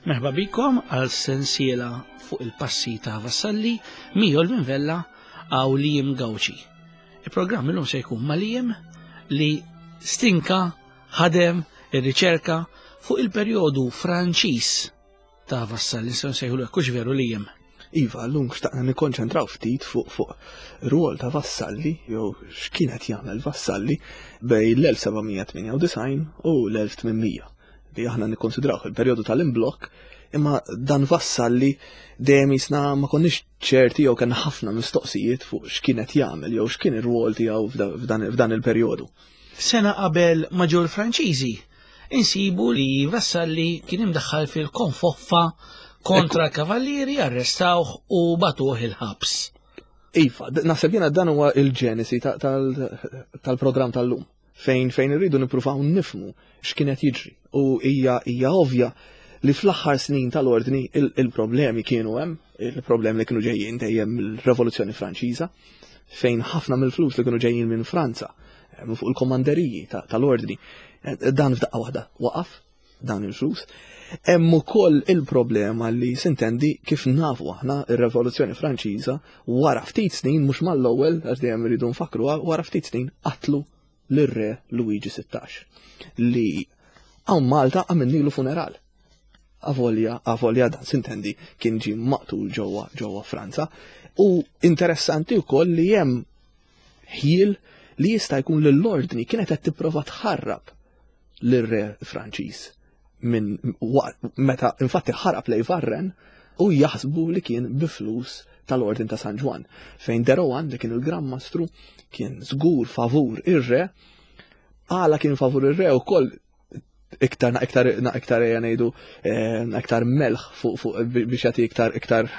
Merħba bikom għal sensiela fuq il-passi ta' Vassalli, Mijol minn Vella għaw Liam Gauci. Il-programm illum se jkun ma' Liam li stinka, ħadem, ir-riċerka fuq il-perjodu Franċiż ta' Vassalli, nistgħu nsejħulu hekk hux veru Liam. Iva, llum xtaqna nikkonċentraw ftit fuq fuq rwol ta' Vassalli jew x'kien qed jagħmel Vassalli bejn l-1798 u l-1800 li aħna nikkonsidrawh il-perjodu tal-imblokk imma dan Vassalli dejjem jisna ma konniex ċerti jew kellna ħafna mistoqsijiet fuq x'kien qed jagħmel jew x'kien ir-rwol tiegħu f'dan il-perjodu. Sena qabel ma ġew il-Franċiżi, insibu li Vassalli kien imdaħħal fil-konfoffa kontra l-kavallieri, arrestawh u batuh il-ħabs. Iva, naħseb jiena dan huwa il-ġenesi tal-programm tal-lum fejn fejn irridu nippruvaw nifmu x'kien qed jiġri u hija hija ovvja li fl-aħħar snin tal-ordni il-problemi kienu hemm, il-problemi li kienu ġejjin dejjem mill-Revoluzzjoni Franċiża, fejn ħafna mill-flus li kienu ġejjin minn Franza, eh, minn fuq il-komanderiji tal-ordni, eh, dan f'daqqa waħda waqaf dan il-flus. Hemm ukoll il-problema li sintendi kif nafu aħna ir-Revoluzzjoni Franċiża wara ftit snin mhux mal-ewwel għax dejjem iridu nfakruha wara ftit snin qatlu lir-re Luigi 16 li hawn Malta għamilnilu funeral. Avolja, avolja dan sintendi kien ġie maqtul ġewwa ġewwa Franza. U interessanti wkoll li hemm ħjiel li jista' jkun li l-ordni kienet qed tipprova tħarrab lir-re Franċiż minn meta infatti ħarab lej Varren u jaħsbu li kien bi flus tal-Ordin ta' San Ġwann, fejn de Rohan li kien il-Gran Mastru kien żgur favur ir-re, għala kien favur ir-re wkoll iktar iktar iktar ejja ngħidu eh, iktar melħ fuq fuq biex jagħti iktar iktar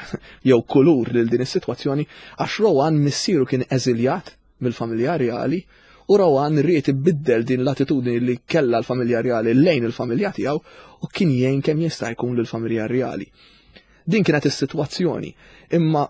jew kulur lil din is-sitwazzjoni għax Rowan missieru kien eżiljat mill-familja rjali u Rowan ried ibiddel din l-attitudni li kellha l-familja rjali lejn il-familja tiegħu u kien jgħin kemm jista' jkun lill-familja rjali. Din kienet is-sitwazzjoni, imma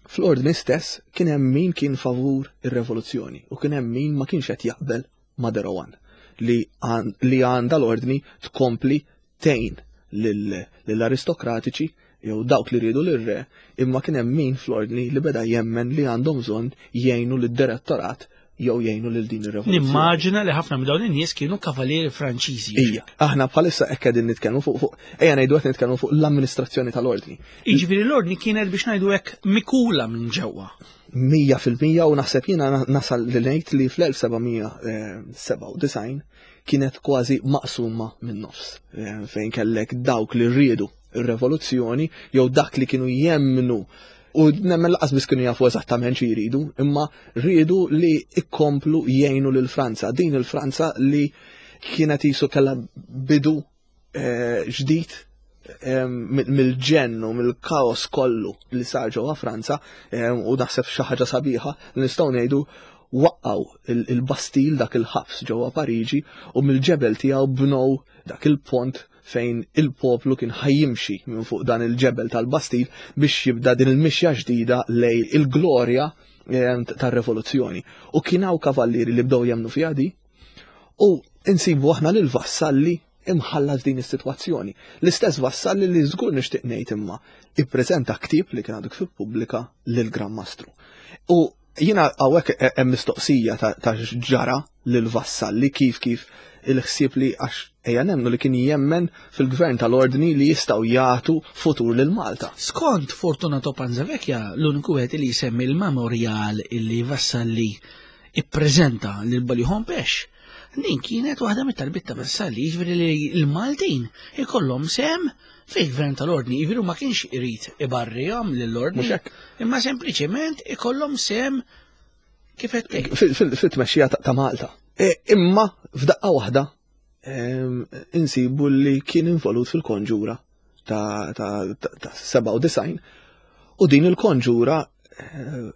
fl-ordni stess kien hemm min kien favur ir-revoluzzjoni u kien hemm min ma kienx qed jaqbel ma' De Rohan li għandha l-ordni tkompli tgħin lill-aristokratiċi jew dawk li riedu lir-re, imma kien hemm min fl-ordni li beda jemmen li għandhom bżonn jgħinu lid-direttorat jew jgħinu lil din ir-revoluzzjoni. Nimmaġina li ħafna minn dawn in-nies kienu kavalieri Franċiżi. Ija, aħna bħalissa hekk qegħdin nitkellmu fuq fuq ejja ngħidu qed nitkellmu fuq l-amministrazzjoni tal-ordni. Jiġifieri l-ordni kienet biex ngħidu hekk mikula minn ġewwa. 100% u naħseb jiena nasal li ngħid li fl-1797 kienet kważi maqsuma minn nofs eh, fejn kellek dawk li riedu ir-revoluzzjoni jew dak li kienu jemmnu u nemmen laqas biss kienu jafu eżattament xi jridu, imma riedu li ikkomplu jgħinu lil Franza, din il-Franza li kienet jisu kellha bidu eh, ġdid eh, mill-ġenn u mill-kaos kollu li sar ġewwa Franza eh, u naħseb xi ħaġa sabiħa li nistgħu ngħidu waqqaw il-Bastil dak il-ħabs ġewwa Pariġi u mill-ġebel tiegħu bnow dak il-pont fejn il-poplu kien ħajjimxi minn fuq dan il-ġebel tal-Bastil biex jibda din il-mixja ġdida lej il-glorja tar-revoluzzjoni. U kien hawn kavallieri li bdew jemmnu fiha di u insibu aħna lil Vassalli imħallas din is-sitwazzjoni. L-istess Vassalli li żgur nixtieq ngħid imma ippreżenta ktieb li kien għadu kif ippubblika lil Gran Mastru. U jiena hawnhekk hemm mistoqsija ta' ġara lil Vassalli kif kif il-ħsieb li għax ejja nemmnu li kien jemmen fil-gvern tal-ordni li jistgħu jagħtu futur lil Malta. Skont Fortunato Panzavecchia, l-uniku wieħed li jsemmi l-memorial illi Vassalli ippreżenta lil Balju Hompesch, din kienet waħda mit-talbiet ta' Vassalli, jiġifieri li l-Maltin ikollhom sehem fil-gvern tal-ordni, jiġifieri ma kienx irid ibarrihom lill-ordni, imma sempliċement ikollhom sehem kif qed tgħid. Fit-tmexxija ta' Malta. E, imma f'daqqa waħda insibu li kien involut fil-konġura ta' 97 u din il-konġura eh,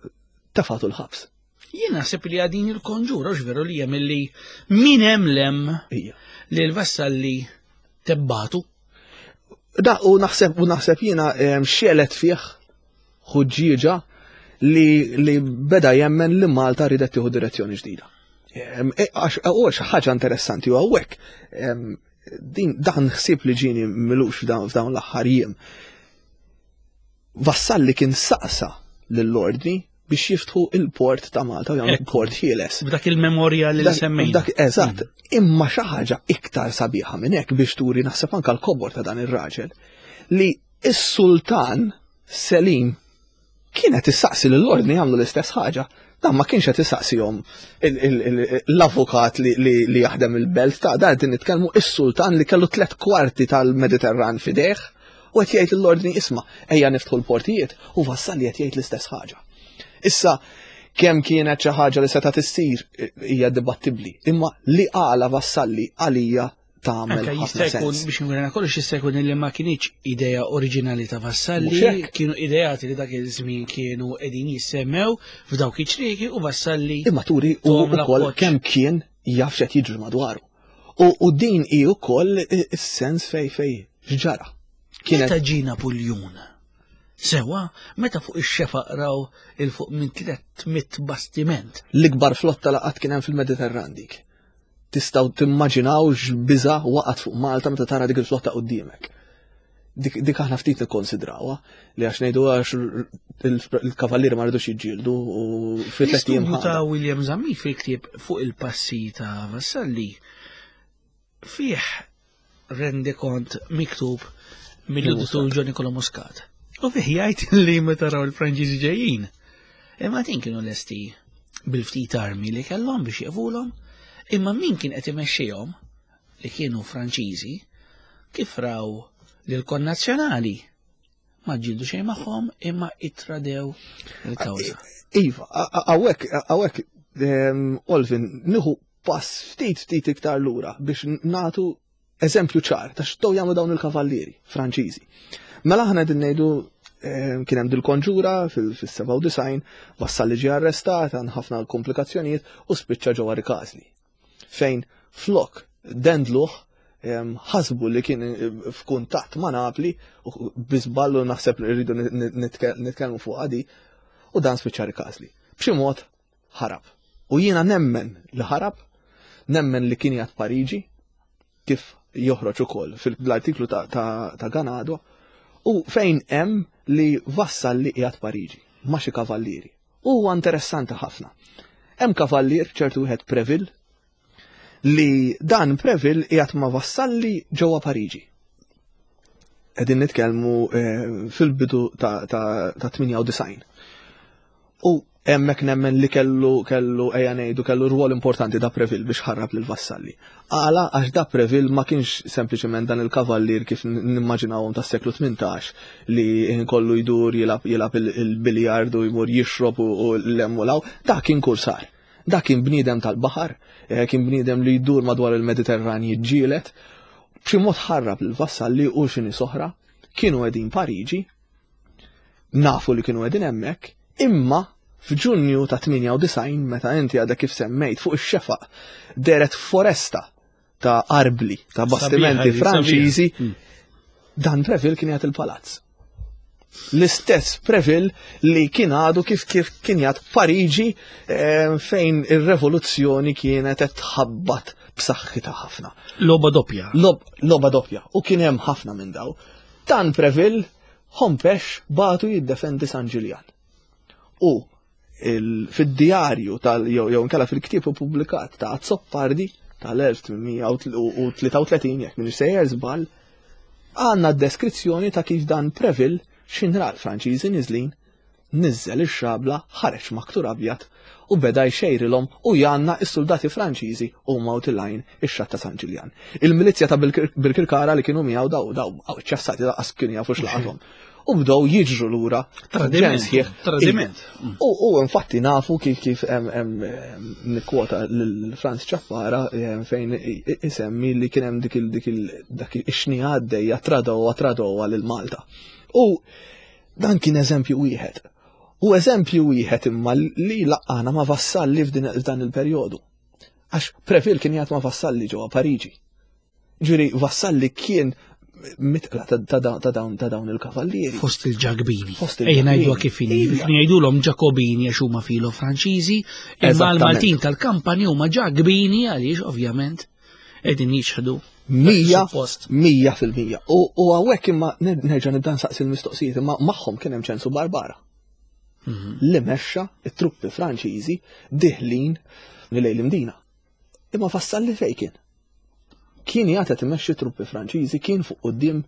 tefatu l-ħabs. Jien naħseb li għadin il-konġura veru li hemm li min hemm lem li l-vassalli tebbatu. Da u naħseb u naħseb jiena xelet fih ħuġġieġa li, li beda jemmen li Malta ridet tieħu direzzjoni ġdida. E, għax e, xi ħaġa interessanti u hawnhekk. Din dan ħsieb li ġieni milux f'dawn l-aħħar jiem. Vassalli kien saqsa lill-ordni biex jiftħu il-port ta' Malta u jagħmlu port ħieles. B'dak il-memorja li semmejna. Dak eżatt, imma xi ħaġa iktar sabiħa minn hekk biex turi naħseb anke l-kobor ta' dan ir-raġel li s-sultan Selim kienet issaqsi lill-ordni jagħmlu l-istess ħaġa. Dan ma kienx qed isaqsihom l-avukat li jaħdem il-belt ta' dan qed nitkellmu is-sultan li kellu tlet kwarti tal-Mediterran fidejh u qed jgħid l-ordni isma' ejja niftħu l-portijiet u Vassalli qed jgħid l-istess ħaġa. Issa kemm kienet xi ħaġa li setgħet issir hija dibattibbli, imma li qala Vassalli għalija tagħmel Anka ħafna jista' jkun sens. biex nurena kollox jista' jkun li ma kienx idea oriġinali ta' Mhux Vassalli, hekk. kienu ideati li dak iż-żmien kienu qegħdin jissemmew f'dawk iċ-ċrieki u Vassalli Imma turi u Tom ukoll l-appoġġ. kemm kien jaf x'qed jiġri madwaru. U, u din hi wkoll is-sens fej fej x'ġara. Kienet Meta ġie Napuljun? Sewa, meta fuq ix-xefaq raw il fuq minn 300 bastiment. l-ikbar flotta laqat kien hemm fil-Mediterran dik. Tistgħu timmaġinaw x'biża waqgħet fuq Malta meta tara dik il-flotta quddiemek. Dik, dik aħna ftit nikkonsidrawha li għax ngħidu għax il-kavallieri ma rridux jiġġieldu u fi tliet ijiem L-istudju ta' ħada. William Zammit fil-ktieb fuq il-passi ta' Vassalli fih rendikont miktub mill-editur John Nicola Muscat. U fih jgħid li meta raw il-Franċiżi ġejjin. Imma din kienu lesti bil-ftit armi li kellhom biex jeqfulhom, imma min kien qed imexxihom li kienu Franċiżi kif raw li l-konnazzjonali ma ġildu xejn magħhom imma ittradew il-kawża. Iva, hawnhekk hawnhekk Olvin nieħu pass ftit ftit iktar lura biex nagħtu eżempju ċar ta' x'tow jagħmlu dawn il-kavallieri Franċiżi. Mela aħna qegħdin ngħidu kien hemm dil-konġura fis-97, Vassalli ġie arrestat, għan ħafna komplikazzjonijiet u spiċċa ġewwa Rikażli. Fejn flok dendluh ħasbu li kien f'kuntatt ma' Napli u biżballu naħseb li rridu nitkellmu fuq għadi u dan spiċċa Rikażli. B'xi mod ħarab. U jiena nemmen li ħarab, nemmen li kien jgħid Pariġi, kif joħroġ ukoll fil-artiklu ta', ta, ta Ganado, u fejn hemm li vassal li qiegħed Pariġi ma' xi kavallieri. U huwa interessanti ħafna. Hemm kavallier ċertu wieħed Preville li dan Preville qiegħed ma' Vassalli ġewwa Pariġi. Qegħdin nitkellmu fil-bidu ta', ta, ta' 98. U hemmhekk nemmen li kellu kellu ejja ngħidu kellu rwol importanti da Preville biex ħarrab lil Vassalli. Għala għax da Preville ma kienx sempliċement dan il-kavallier kif nimmaġinawhom tas-seklu 18 li kollu jdur jilgħab jilgħab il-biljard u jmur jixrob u l-hemm u law, da kien kursar. Da kien bniedem tal-baħar, kien bniedem li jdur madwar il-Mediterran jiġġieled. B'xi mod ħarrab lil Vassalli u xi nies oħra kienu qegħdin Pariġi, nafu li kienu qegħdin hemmhekk, imma f'Ġunju ta' 98 meta inti għadha kif semmejt fuq ix-xefaq deret foresta ta' arbli, ta' bastimenti Sabiħa, Franċiżi, sabiħa. dan Preville kien jgħat il-palazz. L-istess Preville li kien għadu kif kif kien jgħat Pariġi fejn ir-revoluzzjoni kienet qed tħabbat b'saħħitha ħafna. Logħba doppja. Logħba doppja. U kien hemm ħafna minn daw. Dan Preville Hompesch batu jiddefendi San Ġiljan. U fid-djarju tal jew jew inkella fil-ktieb ippubblikat ta' Azzopardi tal-1833 jekk minn sejjer żball, għandna deskrizzjoni ta' kif dan Preville x'inra l-Franċiżi niżlin, niżel ix-xabla, ħareġ maktur abjad u beda jxejrilhom u janna s-soldati Franċiżi huma u tilgħin ix-xatt ta' San Ġiljan. Il-milizja ta' Birkirkara li kienu miegħu daw daw ċassati daqqas kienu jafu x'laqathom. U bdew jiġru lura Tradiment, ġen sħiħ. tradiment. U infatti nafu kif kif hemm nikkwota lil Franz Ciappara fejn isemmi li kien hemm dik il dik il dak ix-xnija għaddejja tradowa tradowa lil Malta. U dan kien eżempju wieħed. U eżempju wieħed imma li laqqana ma' Vassalli f'dan il-perjodu. Għax Preville kien jgħid ma' Vassalli ġewwa Pariġi. Ġifieri Vassalli kien mitqla ta' dawn il-kavallieri. Fost il-Ġakbini. Fost Ejja il-Ġakbini. ngħiduha kif inhi. Iva. Kienu jgħidulhom Ġakobini għax huma filo Franċiżi, imma Eżattament. l-Maltin tal-kampani huma Ġakbini għaliex ovvjament qegħdin jiċħdu. 100%. U hawnhekk imma nerġa' nibda nsaqsi l-mistoqsijiet imma magħhom kien hemm Ċensu Barbara. Mhm. Li mexxa it-truppi Franċiżi diħlin lejn l-Imdina. Imma Vassalli fejn kien? Kien jgħid qed imexxi truppi Franċiżi kien fuq quddiem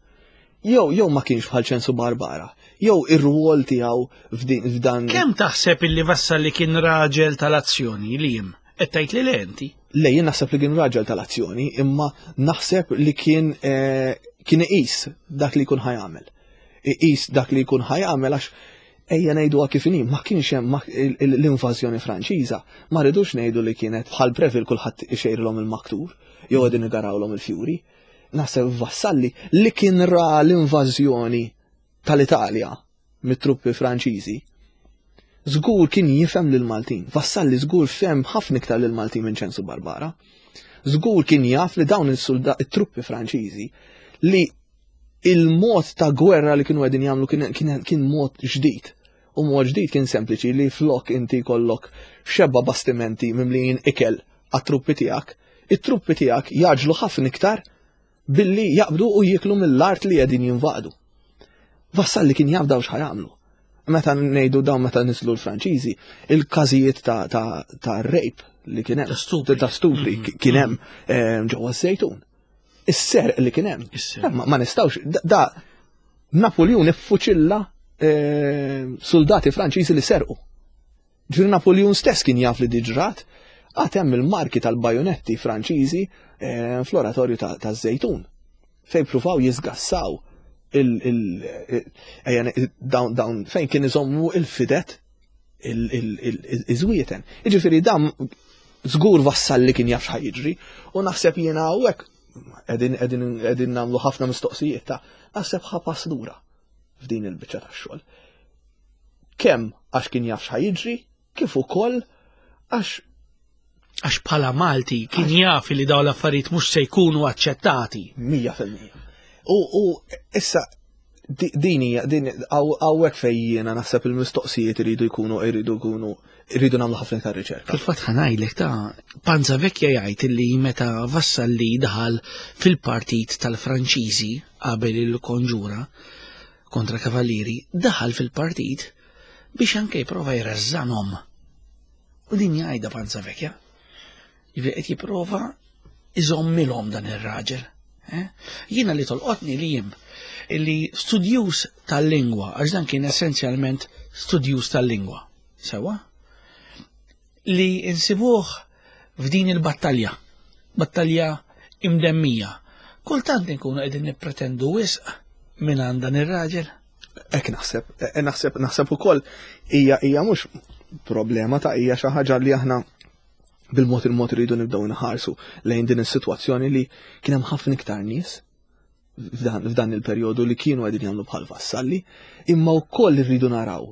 jew jew ma kienx bħal Ċensu Barbara, jew ir-rwol tiegħu f'dan. Kemm taħseb illi Vassalli kien raġel tal-azzjoni li jim? Qed tgħid li le inti? Le jien naħseb li kien raġel tal-azzjoni, imma naħseb li kien eh, kien iqis dak li jkun ħajamel. Iqis dak li jkun ħajamel għax ejja ngħiduha kif inhi, ma kienx hemm l-invażjoni Franċiża, ma rridux ngħidu li kienet bħal Breville kulħadd ixejrilhom il-maktur jew qegħdin igarawlhom il-fjuri. Naħseb Vassalli li kien ra l-invażjoni tal-Italja mit-truppi Franċiżi, żgur kien jifhem lill-Maltin. Vassalli żgur fehem ħafna iktar lill-Maltin minn Ċensu Barbara. Żgur kien jaf li dawn il-truppi Franċiżi li il-mod ta' gwerra li kienu qegħdin jagħmlu kien, kien, kien mod ġdid. U mod ġdid kien sempliċi li flok inti kollok xebba bastimenti mimlijin ikel għat-truppi tiegħek, it-truppi tiegħek jaġlu ħafna iktar billi jaqbdu u jiklu mill-art li qegħdin jinvadu. Vassalli kien jaf daw x'ħajamlu. Meta ngħidu dawn meta nislu l-Franċiżi, il-każijiet ta', ta, ta rape li kien hemm, ta' stupri mm-hmm. kien hemm eh, ġewwa żejtun. Is-serq li kien hemm. Ma nistgħux da Napoleon iffuċilla eh, soldati Franċiżi li serqu. Ġifieri Napoleon stess kien jaf li diġrat, għad hemm il-marki tal-bajonetti Franċiżi eh, fl-oratorju taż-Żejtun fejn pruvaw jisgassaw dawn fejn kien iżommu il-fidet iż-żwieten. Jiġifieri dan żgur vassalli kien jaf x'ħa jiġri u naħseb jiena hawnhekk qegħdin qegħdin qegħdin nagħmlu ħafna mistoqsijiet ta' naħseb ħa pass lura f'din il-biċċa tax-xogħol. Kemm għax kien jaf x'ħa jiġri, kif ukoll għax għax bħala Malti kien jaf li dawn l-affarijiet mhux se jkunu aċċettati. 100%. U issa din hija din hawnhekk fejn jiena naħseb il-mistoqsijiet iridu jkunu iridu jkunu iridu nagħmlu ħafna iktar riċerka. Fil-fatt ħa ngħidlek ta' Panza Vecchia jgħid li meta Vassalli daħal fil-partit tal-Franċiżi qabel il-konġura kontra Kavallieri, daħal fil-partit biex anke jipprova jrażżanhom. U din jgħidha Panza Vecchia. Jiġifieri qed jipprova iżommilhom dan ir-raġel. Eh? Jiena li tolqotni li jim li studjus tal-lingwa, għax dan kien essenzjalment studjus tal-lingwa. Sewa? Li insibuh f'din il-battalja, battalja imdemmija. Kultant inkunu qegħdin nippretendu wisq minn għand dan ir-raġel. Hekk naħseb, eh, naħseb, naħseb ukoll hija hija mhux problema ta' hija xi ħaġa li aħna bil-mod il-mod rridu nibdew nħarsu lejn din is-sitwazzjoni li kien hemm ħafna iktar nies f'dan il-perjodu li kienu qegħdin jagħmlu bħal vassalli, imma wkoll irridu naraw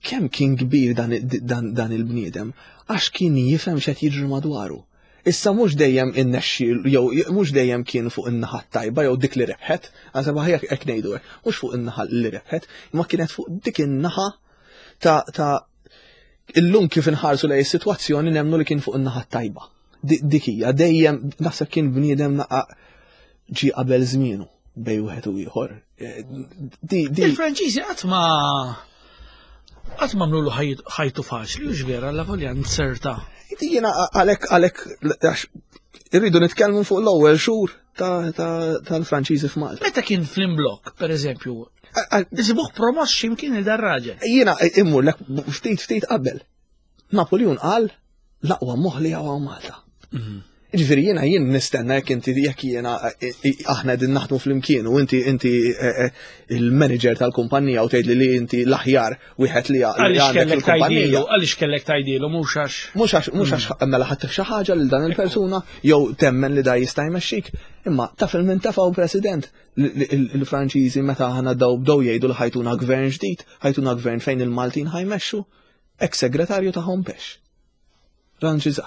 kemm kien kbir dan, dan, dan il-bniedem għax kien jifhem x'qed jiġri madwaru. Issa mhux dejjem innexxi jew mhux dejjem kien fuq in-naħa tajba jew dik li rebħet, għażeb aħjar hekk ngħidu hekk, mhux fuq in-naħa li rebħet, imma kienet fuq dik in-naħa ta' ta' illum kif inħarsu lej is-sitwazzjoni nemmnu li kien fuq in-naħa tajba. Dik hija dejjem naħseb kien bniedem naqa' ġi qabel żmienu bej wieħed u ieħor. Eh, Il-Franċiżi qatt ma qatt ma mlulu ħajtu faċli, u vera la volja nserta. Jiena għalhekk għalhekk għax irridu nitkellmu fuq l-ewwel xhur tal-Franċiżi f'Malta. Meta kien fl-imblok, per eżempju, Isibuh promoss x'imkien il dar-raġel. Jiena immur lek ftit ftit qabel. Napoleon qal l-aqwa moħ li hawn Malta. Mhm. Ġifieri jiena jien nistenna jekk inti jekk jiena e, e, aħna qegħdin naħdmu flimkien u inti inti e, il-manager tal-kumpanija u tgħidli li inti l-aħjar wieħed li għandek il-kumpanija. Għaliex kellek tgħidilu mhux għax. Mhux għax mhux għax mm. mela ħadd xi ħaġa lil dan il-persuna jew temmen li da jista' jmexxik. Imma taf il-min tafgħu president il-Franċiżi meta aħna daw bdew jgħidu li ħajtuna gvern ġdid, ħajtuna gvern fejn il-Maltin ħajmexxu ex-segretarju ta' Hompex. Ranġiza.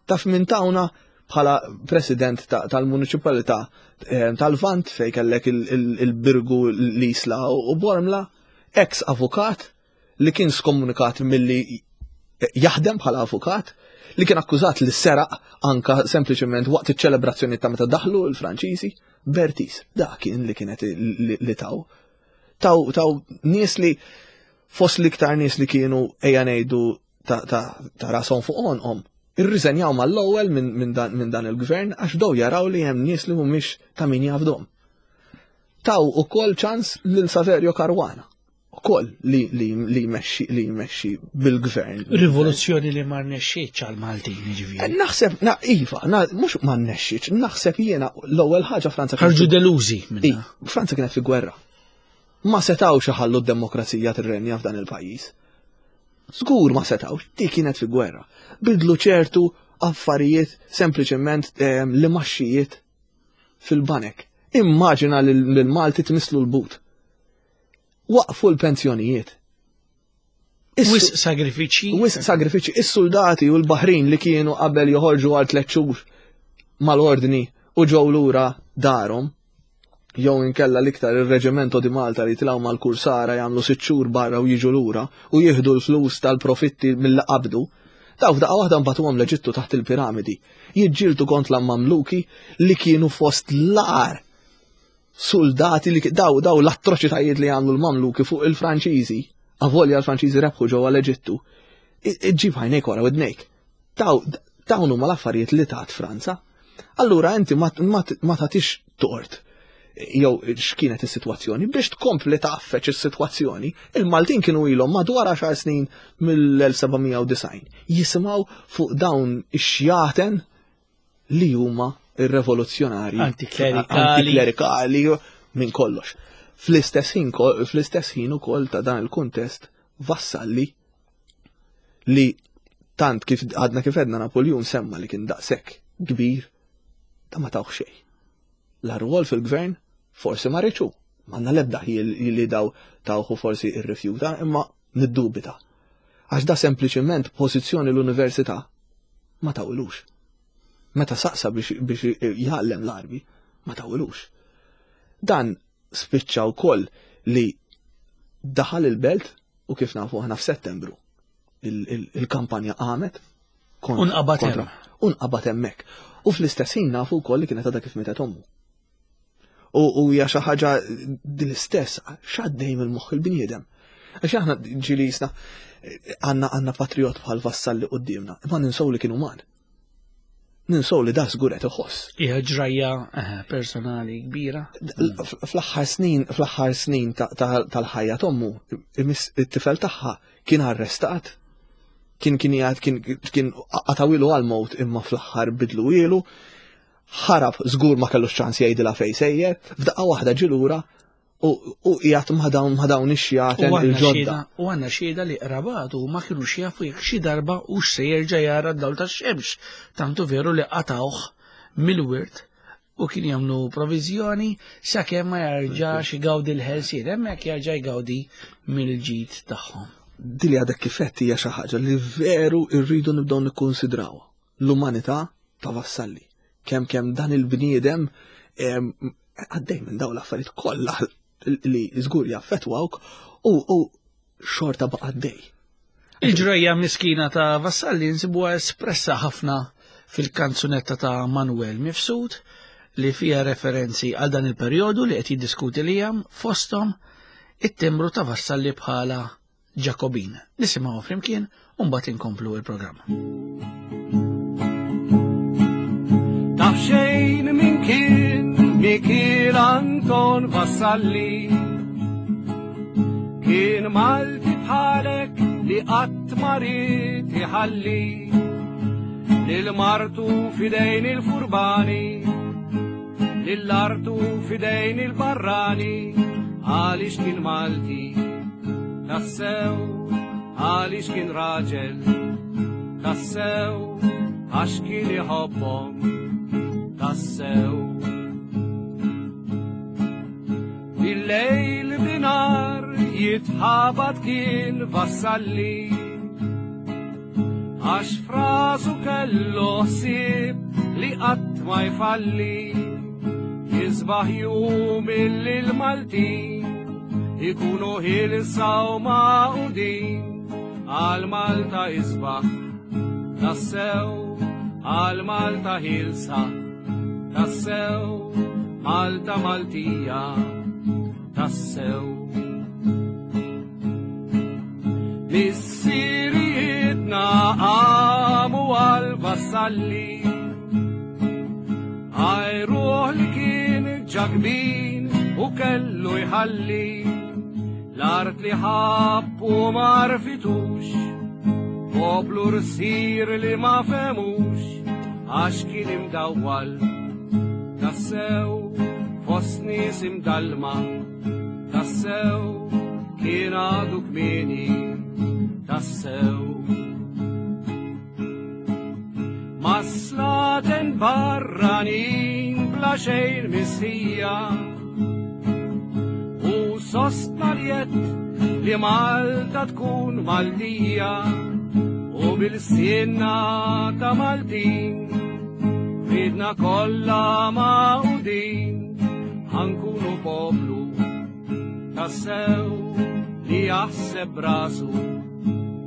Taf minn tawna bħala president tal-municipalità eh, tal-Vant fej kellek il-Birgu l-Isla u Bormla, ex avukat li kien skomunikat milli jaħdem bħala avukat, li kien akkużat li seraq anka sempliċement waqt iċ-ċelebrazzjoni ta' meta daħlu l-Franċiżi, Bertis, dak kien li kienet li taw. Taw, taw nies li fost l-iktar nies li kienu ejja ngħidu ta', ta, ta rashom fuq għonqhom. Irriżenjaw mal-ewwel minn min dan, min dan il-gvern għax bdew jaraw li hemm nies li mhumiex ta' min jafdhom. Taw ukoll ċans lil Saverio Caruana ukoll li li li jmexxi li jmexxi bil-gvern. Rivoluzzjoni li ma rnexxietx għal Maltin jiġifieri. Eh, naħseb, na, iva, na, mhux ma rnexxietx, naħseb jiena l-ewwel ħaġa Franza ħarġu delużi minnha. Franza kienet fi gwerra. Ma setgħux iħallu d-demokrazija tirrenja f'dan il-pajjiż. Żgur ma setgħux, dik kienet fi gwerra. Bidlu ċertu affarijiet sempliċement eh, li maxxijiet fil-banek. Immaġina lil Malti tmislu l-but. Waqfu l-pensjonijiet. Wisq sagrifiċi. Wisq sagrifiċi. Is-soldati u l-baħrin li kienu qabel joħorġu għal tliet xhur mal-ordni u ġew lura darhom, jew inkella l-iktar ir-Reġimento di Malta li tilgħu mal-kursara jagħmlu sitt xhur barra u jiġu lura u jieħdu l-flus tal-profitti mill qabdu. Daw f'daqqa waħda mbagħtuhom l-Eġittu taħt il-piramidi. Jiġġieldu kontra l-Mamluki li kienu fost l-agħar suldati li daw daw l-atroċitajiet li għamlu l-Mamluki fuq il-Franċiżi, avolja l-Franċiżi rebħu ġewwa l-Eġittu, iġġib għajnejk wara widnejk. Daw dawn huma l-affarijiet li tat Franza. Allura inti ma tagħtix tort jew x'kienet is-sitwazzjoni biex tkompli tgħaffeġ is-sitwazzjoni. Il-Maltin kienu ilhom madwar 10 snin mill-1790 jisimgħu fuq dawn ix-xjaten li huma ir-revoluzzjonarji antiklerikali minn kollox. Fl-istess ħin fl-istess ħin ukoll ta' dan il-kuntest Vassalli li tant kif għadna kif għedna Napoljun semma li kien daqshekk kbir ta' ma tawh xejn. La rwol fil-gvern forsi ma riċu. M'għandna l-ebda ħjiel li daw tawħu forsi irrifjuta, imma niddubita. Għax da sempliċement pożizzjoni l-università ma tawilux. Meta saqsa biex, biex jgħallem l-arbi, ma tawilux. Dan spiċċa wkoll li daħal il-belt u kif nafu aħna f'Settembru il-kampanja qamet Unqabad hemm. Unqabad hemmhekk. U fl-istess ħin nafu wkoll li kienet għadha kif mietet ommu. U hija xi ħaġa din l-istess x'għaddej mill-moħħ il-bniedem. Għax aħna ġieli jisna għandna għandna patriot bħal Vassalli quddiemna, imma ninsow li kien uman. Ninsow li da żgur qed iħoss. Hija ġrajja eh, personali kbira. Fl-aħħar snin, fl-aħħar snin tal-ħajja t'ommu, it-tifel tagħha kien arrestat, kien kien jgħid kien kien qatawilu għal-mowt imma fl-aħħar bidlu ilu, ħarab żgur ma kellux ċans jgħidilha fejn sejjer, f'daqqa waħda ġie lura u qiegħed ma' dawn ma' dawn ix-xjaten il-ġodda. U għandna xhieda li qrabatu ma kinux jafu jekk xi darba hux se jerġa' jara d-dawl tax-xemx, tant hu veru li qatgħuh mill-wirt u kien jagħmlu proviżjoni sakemm ma jerġax igawdi l-ħelsien, hemmhekk jerġa' jgawdi mill-ġid tagħhom. Din li għadek kif għedt hija xi ħaġa li veru rridu nibdew nikkunsidrawha. L-umanità ta' Vassalli. Kemm kemm dan il-bniedem għaddej minn dawn l-affarijiet kollha li żgur jaffettwawk u xorta baqa' għaddej. Il-ġrajja miskina ta' Vassalli nsibuha espressa ħafna fil-kanzunetta ta' Manuel Mifsud li fiha referenzi għal dan il-perjodu li qed jiddiskuti Liam fosthom it-timbru ta' Vassalli bħala Ġakobin. Nisimgħu flimkien u mbagħad inkomplu il-programm. Taf xejn min kien Mikiel Anton Vassalli Kien Malti bħalek li qatt ma ried iħalli lil martu fidejn il-furbani Lill-artu fidejn il-barrani għaliex kien Malti tassew għaliex kien raġel tassew għax kien iħobbhom tassew. Bil-lejl binar jitħabat kien Vassalli Għax frasu kellu ħsieb li qatt ma jfalli Jisbaħ jum illi l-Maltin ikunu ħielsa u magħqudin għal Malta isbaħ tassew. Għal Malta ħielsa, tassew, Malta Maltija, tassew. Missirijietna qamu għal vassalli, għajruħ li kien ġakbin u kellu jħalli, l-art li ħabb u marfitux, poplu rsir li ma femux, għax kien imdawwal, tassew fost nies imdallma, tassew kien għadu kmieni, tassew. Maslaten barranin bla xejn missija u sostna li li Malta tkun Maltija u bil-sinna ta' Maltin ridna kollha maqudin ħankunu poplu tassew li jaħseb rasu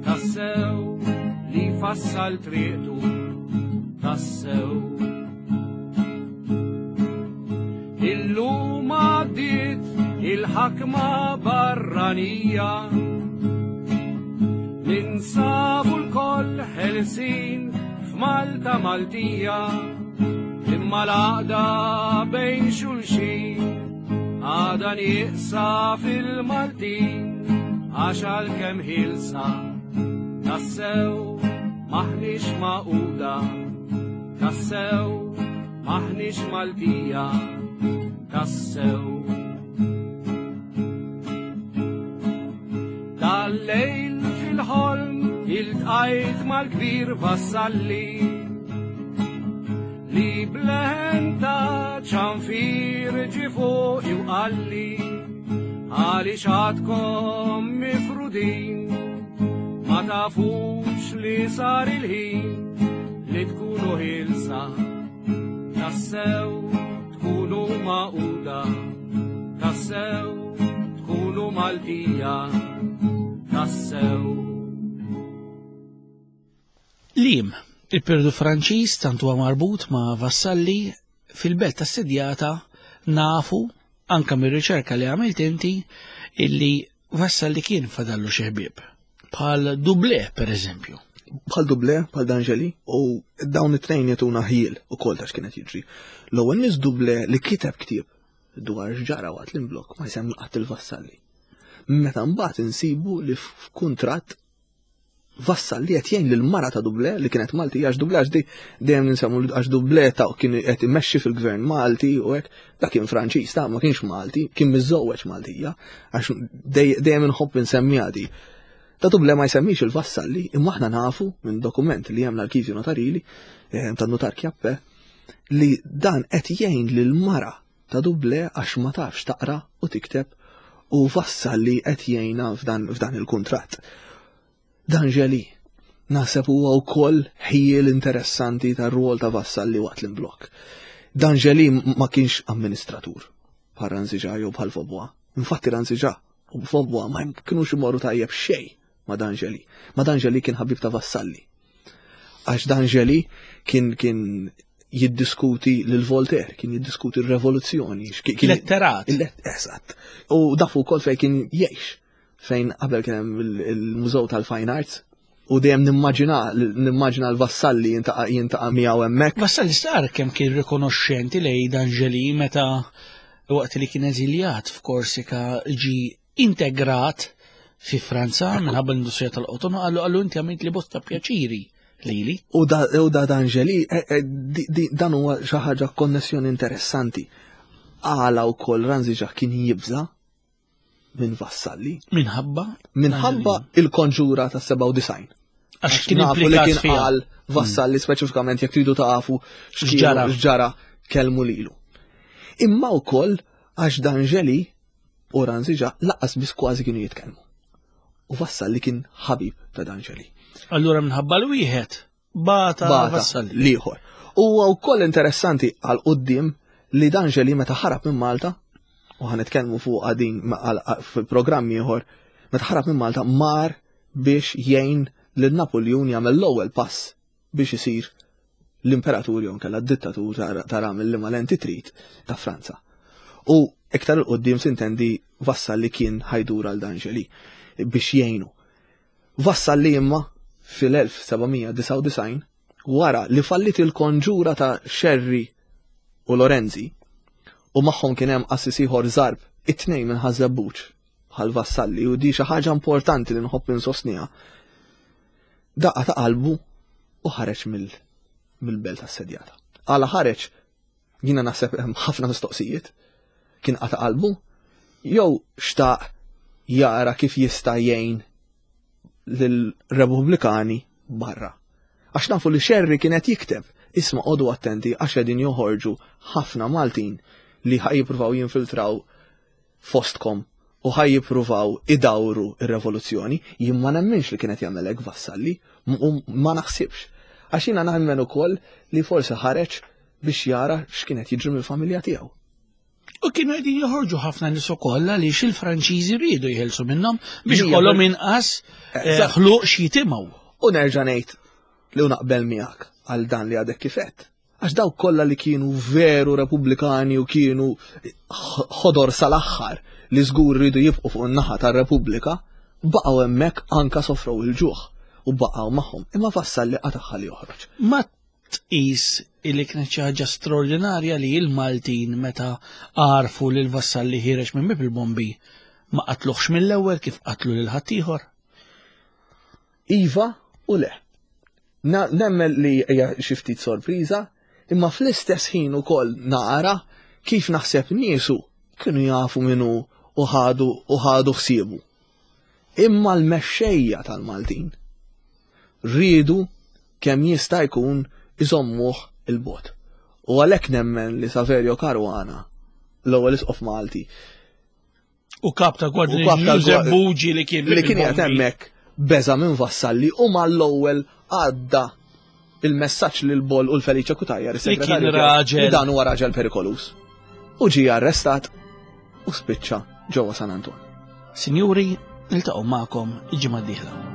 tassew li fassal triqtu tassew. Illum għaddiet il-ħakma barranija Ninsabu l-koll ħelsin f'Malta Maltija imma l-għaqda bejn xulxin għada nieqsa fil-Maltin għax għalkemm ħilsa tassew maħniex magħquda tassew maħniex Maltija tassew. Dal-lejl fil-ħolm iltqajt mal-kbir vassalli li bleħen ta' ċanfir ġi fuq u qalli għaliex għadkom mifrudin ma tafux li sar il-ħin li tkunu ħilsa tassew tkunu magħquda tassew tkunu Maltija tassew. Lim, il-periodu Franċiż tant huwa marbut ma' Vassalli fil-belt assedjata nafu anka mir-riċerka li għamilt inti illi Vassalli kien fadallu xi ħbieb. Bħal Dublé, per eżempju. Bħal Dublé, bħal D'Angeli, u dawn it-tnejn jagħtuna ħjiel ukoll ta' x'kienet jiġri. L-ewwel nies Dublé li kiteb ktieb dwar x'ġara waqt l-imblokk ma jsemmi qatt il-Vassalli. Meta mbagħad insibu li f'kuntratt Vassalli qed jgħin lil mara ta' Dublé li kienet Malti għax Dublé għax dejjem ninsemmu għax Dublé ta' kien qed imexxi fil-gvern Malti u hekk dak kien Franċiż ta' ma kienx Malti, kien miżżewweġ Maltija għax dejjem inħobb insemmiha di. Ta' Dublé ma jsemmix il-Vassalli imma aħna nafu minn dokument li hemm l-Arkivju Notarili eh, tan-Nutar Kjappe li dan qed jgħin lil mara ta' Dublé għax ma tafx taqra u tikteb u Vassalli qed jgħinha f'dan il-kuntratt. D'Angeli naħseb huwa wkoll ħjiel interessanti tar-rwol ta' Vassalli waqt l-imblokk. D'Angeli ma kienx amministratur bħal Ranziġa jew bħal Vaubois. Infatti Ranziġa u Vaubois ma kienux imorru tajjeb xejn ma' D'Angeli. Ma' D'Angeli kien ħabib ta' Vassalli. Għax D'Angeli kien kien jiddiskuti lil Voltaire, kien jiddiskuti r-revoluzzjoni. Letterat. Eżatt. U dafu wkoll fejn kien jgħix, fejn qabel kien hemm il-Mużew tal-Fine Arts, u dejjem nimmaġina nimmaġina l-Vassalli jintaqa' jintaqa' miegħu hemmhekk. Vassalli sar kemm kien rikonoxxenti lejn D'Angeli meta waqt li kien eżiljat f'Korsika ġi integrat fi Franza minħabba l-industrija tal-qoton qallu qallu inti għamilt li bosta pjaċiri lili. U da, u da D'Angeli, eh, eh, dan huwa xi ħaġa konnessjoni interessanti. Għala wkoll Ranziġa kien jibża minn Vassalli. Minħabba? Minħabba il-konġura ta' 97. Għax kien nafu li kien qal Vassalli mm. speċifikament jekk tridu tafu x'ġara kellmu lilu. Imma wkoll għax D'Angeli u Ranziġa laqas biss kważi kienu jitkellmu. U Vassalli kien ħabib ta' D'Angeli. Allura minħabba l-wieħed bata Vassalli. L-ieħor. Huwa wkoll interessanti għal quddiem li D'Angeli meta ħarab minn Malta, u ħanitkellmu fuq din fil-programm ieħor, meta ħarab minn Malta mar biex jgħin lil Napoljun jagħmel l-ewwel pass biex isir l-imperatur jew nkella d-dittatur tara mill-liema lenti trid ta' Franza. U iktar 'il quddiem sintendi Vassalli kien ħajdur għal D'Angeli biex jgħinu. Vassalli imma fil-1799 wara li fallit il-konġura ta' Scerri u Lorenzi u magħhom kien hemm qassis ieħor Zarb, it-tnejn minn Ħaż-Żebbuġ bħal Vassalli u di xi ħaġa importanti li nħobb insostniha. Daqqa ta' qalbu u ħareġ mill-belt assedjata. Għala ħareġ jiena naħseb hemm ħafna mistoqsijiet. Kien qata' qalbu jew xtaq jara kif jista' jgħin lill-Repubblikani barra. Għax nafu li Scerri kien qed jikteb, isma' qogħdu attenti għax qegħdin joħorġu ħafna Maltin li ħa jippruvaw jinfiltraw fostkom u ħa jippruvaw idawru r-revoluzzjoni, jien ma nemminx li kien qed jagħmel hekk Vassalli, u ma naħsibx. Għax jiena nemmen ukoll li forsi ħareġ biex jara x'kien qed jiġri mill-familja tiegħu. U kienu qegħdin joħorġu ħafna nies ukoll għaliex il-Franċiżi riedu jħelsu minnhom biex ikollhom inqas eh, ħluq x'jitimgħu. U nerġa' ngħid li naqbel miegħek għal dan li għadek kifet. Għax dawk kollha li kienu veru Repubblikani u kienu ħodor sal-aħħar li żgur rridu jibqu fuq in-naħa tar-Repubblika, baqgħu hemmhekk anka sofrew il-ġuħ u baqgħu magħhom. Imma Vassalli qatagħha li joħroġ. Ma tqis illi kienet xi ħaġa straordinarja li l-Maltin meta għarfu lil Vassalli ħiereġ minn bieb il-bombi ma qatluhx mill-ewwel kif qatlu lil ħaddieħor? Iva u le. Nemmen li hija xi ftit sorpriża, imma fl-istess ħin ukoll nara kif naħseb niesu kienu jafu min hu u ħadu u ħadu ħsiebu. Imma l-mexxejja tal-Maltin riedu kemm jista' jkun iżommuh il-bogħod. U għalhekk nemmen li Saverio Caruana, l-ewwel isqof Malti, U kap ta' Gwardja Giuseppe Bugi li kien li kien qiegħed hemmhekk beża' minn Vassalli u mal-ewwel għadda il-messaġġ lil Boll u l-Felice Cutajar, is-segretarju raġel. Dan huwa raġel perikoluż. U ġie arrestat u spiċċa ġewwa San Anton. Sinjuri, niltaqgħu magħkom il-ġimgħa d-dieħla.